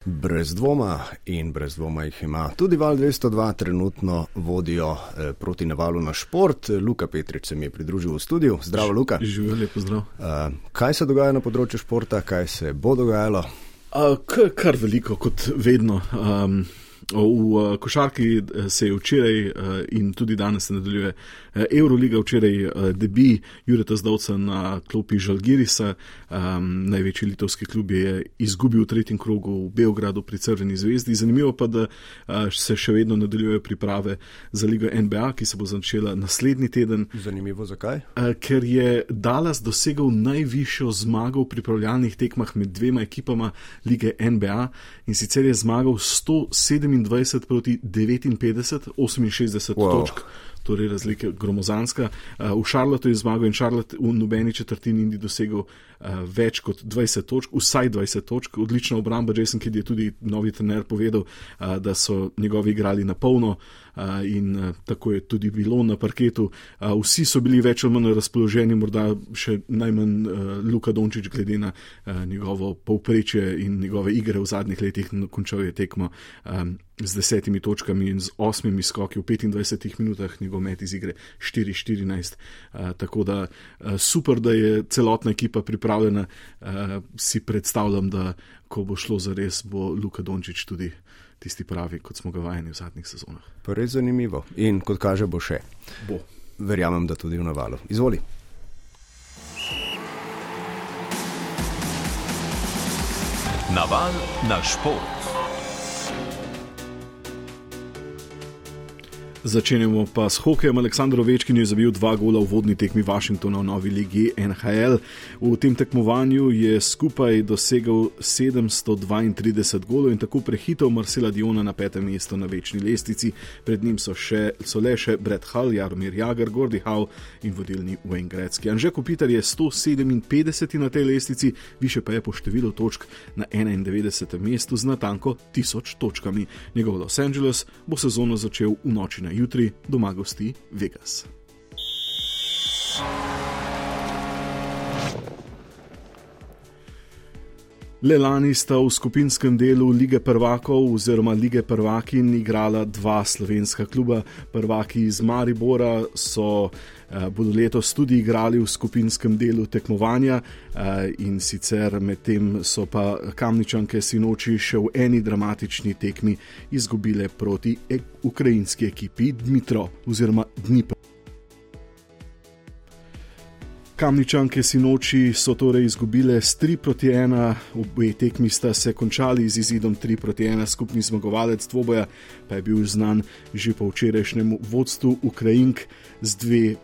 Brez dvoma in brez dvoma jih ima. Tudi Val 202 trenutno vodijo proti navalu na šport. Luka Petrič se mi je pridružil v studiu. Zdravo, Luka. Živijo, lepo zdrav. Kaj se dogaja na področju športa, kaj se bo dogajalo? Kar veliko, kot vedno. V košarki se je včeraj in tudi danes se nadaljuje Euroliga. Včeraj debi Jureta Zdovca na klopi Žalgirisa. Največji litovski klub je izgubil v tretjem krogu v Beogradu pri Crveni zvezdi. Zanimivo pa, da se še vedno nadaljujejo priprave za ligo NBA, ki se bo začela naslednji teden. Zanimivo, zakaj? Ker je Dallas dosegel najvišjo zmago v pripravljalnih tekmah med dvema ekipama lige NBA, in sicer je zmagal 127 proti 59, 68 točk. Torej razlika gromozanska. V Charlotteu je zmagal in Charlotte v nobeni četrtini ni dosegel več kot 20 točk, vsaj 20 točk. Odlična obramba. Jason Kidd je tudi novi trener povedal, da so njegovi igrali na polno in tako je tudi bilo na parketu. Vsi so bili več ali manj razpoloženi, morda še najmanj Luka Dončić glede na njegovo povprečje in njegove igre v zadnjih letih. Končal je tekmo z 10 točkami in z 8 skoki v 25 minutah, njegov met iz igre 4-14. Tako da super, da je celotna ekipa pripravljena. Si predstavljam, da ko bo šlo za res, bo Luka Dončić tudi tisti pravi, kot smo ga vajeni v zadnjih sezonah. Pa res zanimivo. In kot kaže, bo še. Bo. Verjamem, da tudi v navalu. Izvoli. Naval na šport. Začenjamo pa s hokejem. Aleksandar Ovečkin je zabil 2 gola v vodni tekmi Washingtona v novi ligi NHL. V tem tekmovanju je skupaj dosegel 732 golov in tako prehitel Marcela Diona na 5. mesto na večni lestvici. Pred njim so le še Brett Hull, Jaromir Jagr, Gordie Howe in vodilni Wayne Gretzky. Anže Kopitar je 157 na tej lestvici, više pa je po številu točk na 91. mestu z natanko 1000 točkami. Njegov Los Angeles bo sezono začel v noči na jutri, doma gosti Vegas. Le lani sta v skupinskem delu Lige prvakov oziroma Lige prvakinj igrala 2 slovenska kluba. Prvaki iz Maribora bodo letos tudi igrali v skupinskem delu tekmovanja, in sicer medtem so pa Kamničanke sinoči še v eni dramatični tekmi izgubile proti ukrajinski ekipi Dnipro oziroma Dnipro. Kamničanke sinoči so torej izgubile s 3-1, obe tekmi sta se končali z izidom 3-1, skupni zmagovalec dvoboja pa je bil znan že po včerajšnjem vodstvu Ukrajink z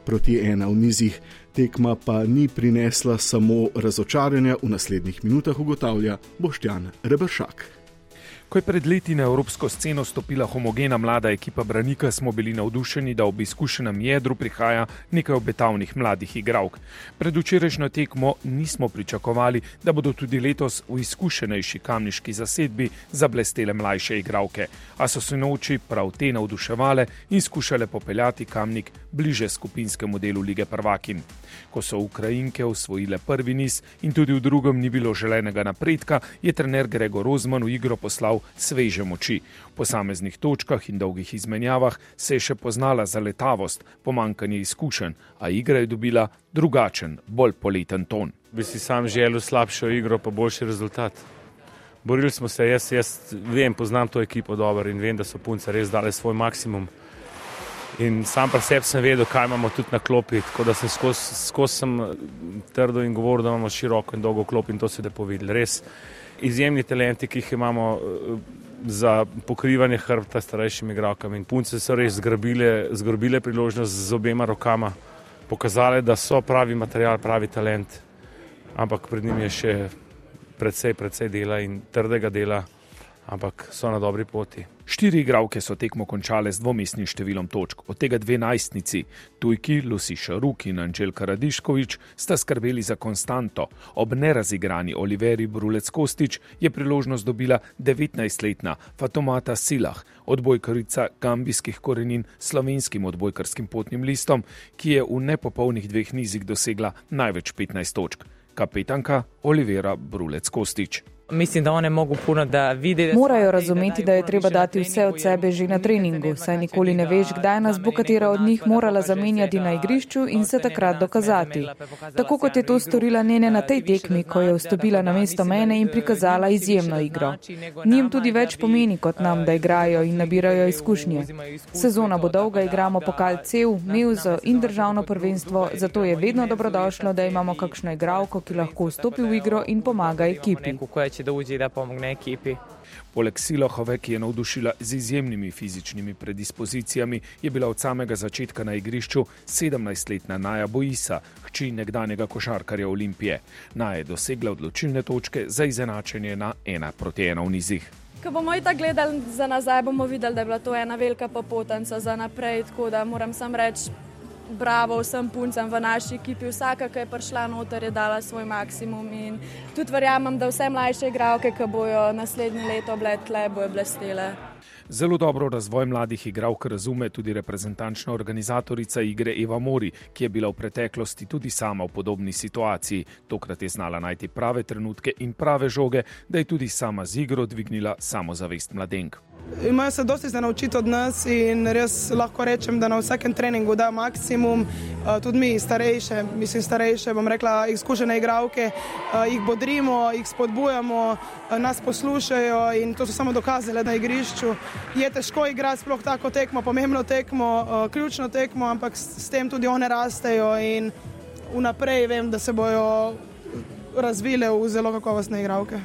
2-1 v nizih. Tekma pa ni prinesla samo razočaranja, v naslednjih minutah ugotavlja Boštjan Reberšak. Ko je pred leti na evropsko sceno stopila homogena mlada ekipa Branika, smo bili navdušeni, da ob izkušenem jedru prihaja nekaj obetavnih mladih igralk. Pred včerajšnjo tekmo nismo pričakovali, da bodo tudi letos v izkušenejši kamniški zasedbi zablestele mlajše igralke, a so se noči prav te navduševale in skušale popeljati Kamnik bliže skupinskemu delu lige prvakinj. Ko so Ukrajinke osvojile prvi niz in tudi v drugem ni bilo želenega napredka, je trener Gregor Rozman v igro poslal sveže moči. V posameznih točkah in dolgih izmenjavah se je še poznala zaletavost, pomanjkanje izkušenj, a igra je dobila drugačen, bolj poleten ton. Bi si sam želel slabšo igro pa boljši rezultat. Borili smo se, jaz vem, poznam to ekipo dobro in vem, da so punce res dale svoj maksimum. In sam pri sebi sem vedel, kaj imamo tudi na klopi, tako da sem skozi trdo in govoril, da imamo široko in dolgo klop in to se lepo videli. Res izjemni talenti, ki jih imamo za pokrivanje hrbta starejšim igralkam, in punce so res zgrabile priložnost z obema rokama, pokazale, da so pravi material, pravi talent, ampak pred njim je še precej dela in trdega dela, ampak so na dobri poti. 4 igralke so tekmo končale z dvomestnim številom točk, od tega 2 najstnici. Tujki Lucy Šaruk in Anželka Radiškovič sta skrbeli za konstanto. Ob nerazigrani Oliveri Brulec-Kostić je priložnost dobila 19-letna Fatomata Silah, odbojkarica gambijskih korenin s slovenskim odbojkarskim potnim listom, ki je v nepopolnih 2 nizih dosegla največ 15 točk. Kapetanka Olivera Brulec-Kostić. Mislim, da one mogu puno da vide. Morajo razumeti, da je treba dati vse od sebe že na treningu, saj nikoli ne veš, kdaj nas bo katera od njih morala zamenjati na igrišču in se takrat dokazati. Tako kot je to storila Nene na tej tekmi, ko je vstopila na mesto mene in prikazala izjemno igro. Njim tudi več pomeni kot nam, da igrajo in nabirajo izkušnje. Sezona bo dolga, igramo pokal CEV, Mevzo in državno prvenstvo, zato je vedno dobrodošlo, da imamo kakšno igralko, ki lahko vstopi v igro in pomaga ekipi. Da uđe da pomogne ekipi. Poleg Silohove, ki je navdušila z izjemnimi fizičnimi predispozicijami, je bila od samega začetka na igrišču 17-letna Naja Boisa, hči nekdanjega košarkarja Olimpije. Naja je dosegla odločilne točke za izenačenje na 1-1 v nizih. Ko bomo itak gledali za nazaj, bomo videli, da je bila to ena velika popotnica za naprej, tako da moram sam reči bravo vsem puncem v naši ekipi. Vsaka, ki je prišla noter, je dala svoj maksimum in tudi verjamem, da vse mlajše igralke, ki bojo naslednje leto bile tle, bojo blestele. Zelo dobro razvoj mladih igralk razume tudi reprezentančna organizatorica igre Eva Mori, ki je bila v preteklosti tudi sama v podobni situaciji. Tokrat je znala najti prave trenutke in prave žoge, da je tudi sama z igro dvignila samozavest mladenk. Imajo se dosti za naučiti od nas in res lahko rečem, da na vsakem treningu da maksimum. Tudi mi starejše, bom rekla, izkušene igralke, jih bodrimo, jih spodbujamo, nas poslušajo in to so samo dokazale na igrišču. Je težko igrati sploh tako tekmo, pomembno tekmo, ključno tekmo, ampak s tem tudi one rastejo in vnaprej vem, da se bojo razvile v zelo kakovostne igralke.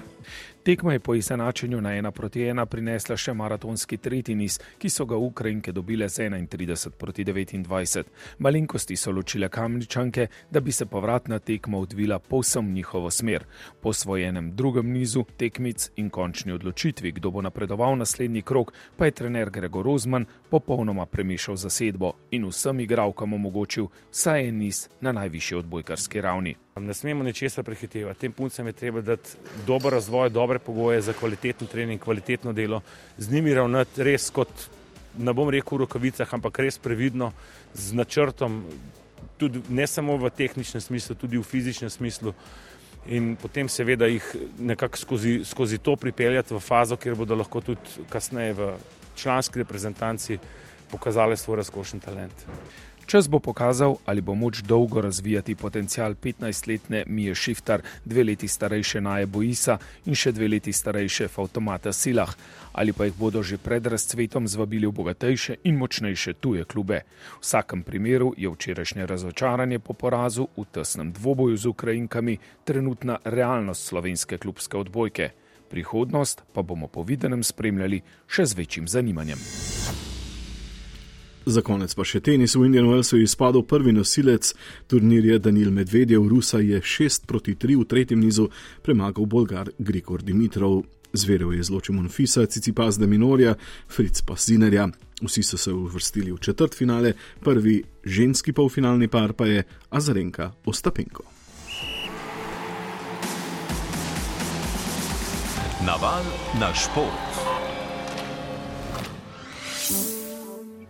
Tekma je po izenačenju na 1-1 prinesla še maratonski tretji niz, ki so ga Ukrajinke dobile z 31-29. Malenkosti so ločile Kamničanke, da bi se povratna tekma odvila povsem njihovo smer. Po osvojenem drugem nizu tekmic in končni odločitvi, kdo bo napredoval naslednji krog, pa je trener Gregor Rozman popolnoma premešal zasedbo in vsem igralkam omogočil vsaj en niz na najvišji odbojkarski ravni. Ne smemo ničesar prehitevati. Tem puncem je treba dati dober razvoj, dobre pogoje za kvaliteten trening, kvalitetno delo. Z njimi ravnati res kot, ne bom rekel v rokavicah, ampak res previdno, z načrtom, tudi ne samo v tehničnem smislu, tudi v fizičnem smislu. In potem seveda jih nekako skozi to pripeljati v fazo, kjer bodo lahko tudi kasneje v članski reprezentanci pokazali svoj razkošen talent. Čas bo pokazal, ali bo moč dolgo razvijati potencial 15-letne Mije Šiftar, 2 leti starejše Naje Boisa in še 2 leti starejše Fautomata Silah, ali pa jih bodo že pred razcvetom zvabili v bogatejše in močnejše tuje klube. V vsakem primeru je včerajšnje razočaranje po porazu v tesnem dvoboju z Ukrajinkami trenutna realnost slovenske klubske odbojke. Prihodnost pa bomo po videnem spremljali še z večjim zanimanjem. Za konec pa še tenis. V Indian Wellsu je izpadel prvi nosilec turnirja Danil Medvedev. Rusa je 6-3 v tretjem nizu premagal Bolgar Grigor Dimitrov. Zverev je izločil Monfisa, Tsitsipas de Minorja, Fritz pa Zinerja. Vsi so se uvrstili v četrtfinale, prvi ženski polfinalni par pa je Azarenka Ostapenko. Naval na šport.